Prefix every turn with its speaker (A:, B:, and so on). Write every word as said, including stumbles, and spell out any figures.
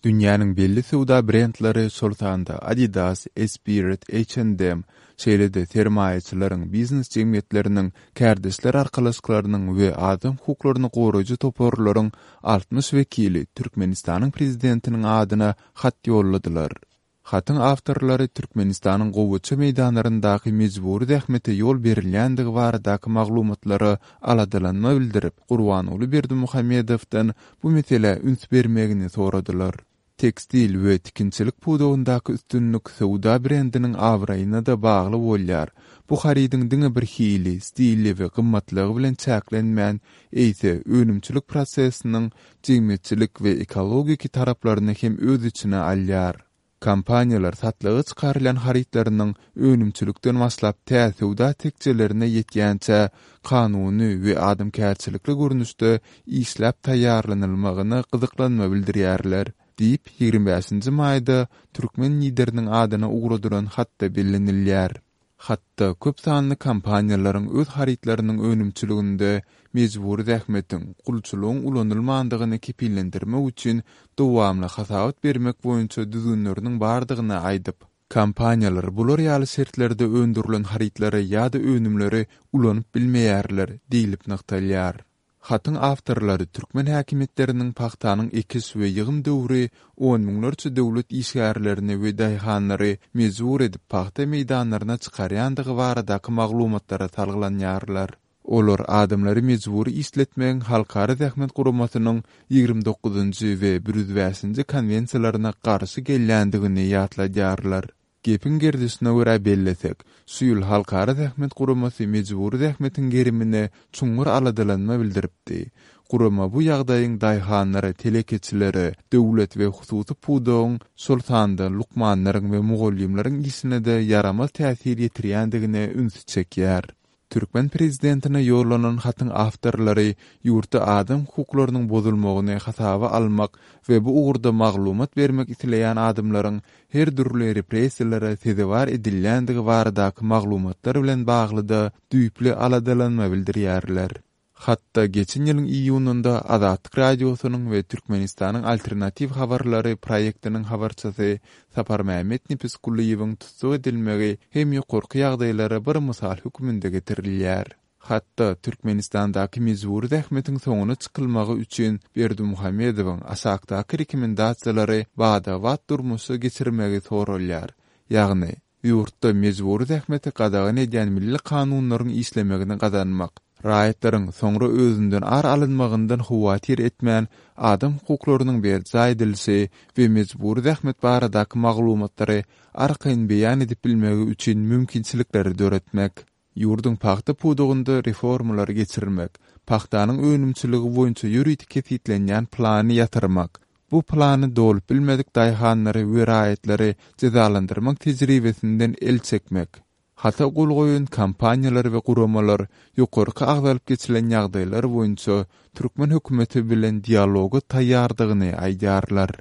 A: Dünýäniň belli söwda brendleri, şol sanda Adidas, Esprit, H and M, şeýle-de sermaýaçylaryň, biznes jemgyýetleriniň, kärdeşler arkalaşyklarynyň we adam hukuklaryny goraýjy toparlaryň altmyş wekili Türkmenistanyň prezidentiniň adyna hat ýolladylar. Hatyň awtorlary Türkmenistanyň gowaça meýdanlaryndaky mejbury zähmete ýol berilýändigi baradaky maglumatlara aladalanma bildirip, Gurbanguly Berdimuhamedowdan bu meselä üns bermegini soradylar. Tekstil we tikinçilik pudagyndaky üstünlik söwda brendiniň abraýyna-da bagly bolýar. Bu harydyň diňe bir hili, stili we gymmatlygy bilen çäklenmän, eýse önümçilik prosesiniň jemgyýetçilik we ekologik taraplaryny hem öz içine alýar. Kompaniýalar satlyga çykarylýan harytlarynyň önümçilikden başlap tä söwda tekjelerine ýetýänçä kanuny we adamkärçilikli görnüşde işläp taýýarlanylmagyna gyzyklanma bildirýärler, diýip, ýigrimi bäşinji maýda türkmen lideriniň adyna ugradylan hatda bellenilýär. Hatda köp sanly kompaniýalaryň öz harytlarynyň önümçiliginde mejbury zähmetiň, gulçulygyň ulanylmandygyny kepillendirmek üçin dowamly hasabat bermek boýunça düzgünleriniň bardygyny aýdyp, kompaniýalar bular ýaly şertlerde öndürilen harytlary ýa-da önümleri ulanyp bilmeýärler diýlip nygtalýar. Hatyň awtorlary türkmen häkimiýetleriniň pagtanyň ekiş we ýygym döwri on müňlerçe döwlet işgärlerini we daýhanlary mejbur edip pagta meýdanlaryna çykarýandygy baradaky maglumatlara salgylanýarlar. Olar adamlary mejbury işletmegiň Halkara zähmet guramasynyň ýigrimi dokuzynjy we bir ýüz bäşinji konwensiýalaryna garşy gelýändigini ýatladýarlar. Gepiň gerdişine görä bellesek, şu ýyl Halkara zähmet guramasy mejbury zähmetiň gerimine çuňňur aladalanma bildiripdi. Gurama bu ýagdaýyň daýhanlara, telekeçilere, döwlet we hususy pudagyň, şol sanda lukmanlaryň we mugallymlaryň işine-de ýaramaz täsir ýetirýändigine ünsi çekýär. Türkmen prezidentine ýollanan hatyň awtorlary ýurtda adam hukuklarynyň bozulmagyny hasaba almak we bu ugurda maglumat bermek isleýän adamlaryň her dürli repressiýalara sezewar edilýändigi baradaky maglumatlar bilen bagly-da düýpli aladalanma bildirýärler. Hatda geçen ýylyň iýunynda Azatlyk Radiosynyň we Türkmenistanyň Alternatiw habarlary proýektiniň habarçysy Saparmämmet Nepesgulyýewiň tussag edilmegi hem ýokarky ýagdaýlara bir mysal hökmünde getirilýär. Hatda Türkmenistandaky mejbury zähmetiň soňuna çykylmagy üçin Berdimuhamedowyň aşakdaky rekomendasiýalary bada-bat durmuşa geçirmegi soralýar. Ýagny, ýurtda mejbury zähmeti gadagan edýän milli kanunlaryň işlemegini gazanmak, raýatlaryň soňra özünden ar alynmagyndan howatyr etmän adam hukuklarynyň berjaý edilişi we mejbury zähmet baradaky maglumatlary arkaýyn beýan edip bilmegi üçin mümkinçilikleri döretmek, ýurduň pagta pudagynda reformalary geçirmek, pagtanyň önümçiligi boýunça ýörite kesgitlenýän plany ýatyrmak, bu plany dolup bilmedik daýhanlary we raýatlary jezalandyrmak tejribesinden el çekmek, hata gol goýan kompaniýalar we guramalar ýokarky agzalyp geçilen ýagdaýlar boýunça türkmen hökümeti bilen dialoga taýýardygyny aýdýarlar.